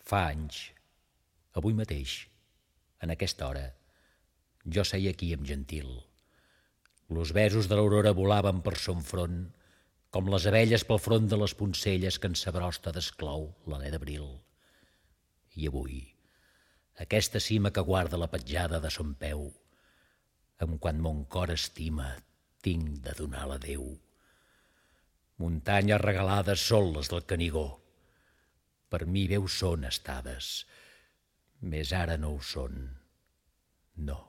Fa anys, avui mateix, en aquesta hora, jo seia aquí amb Gentil. Los besos de l'aurora volaven per son front, com les abelles pel front de les poncelles que en sa brosta desclou l'alè d'abril. I avui, aquesta cima que guarda la petjada de son peu, amb quan mon cor estima, tinc de donar l'adeu. Muntanyes regalades són les del Canigó. Per mi bé ho són estades, més ara no ho són. No.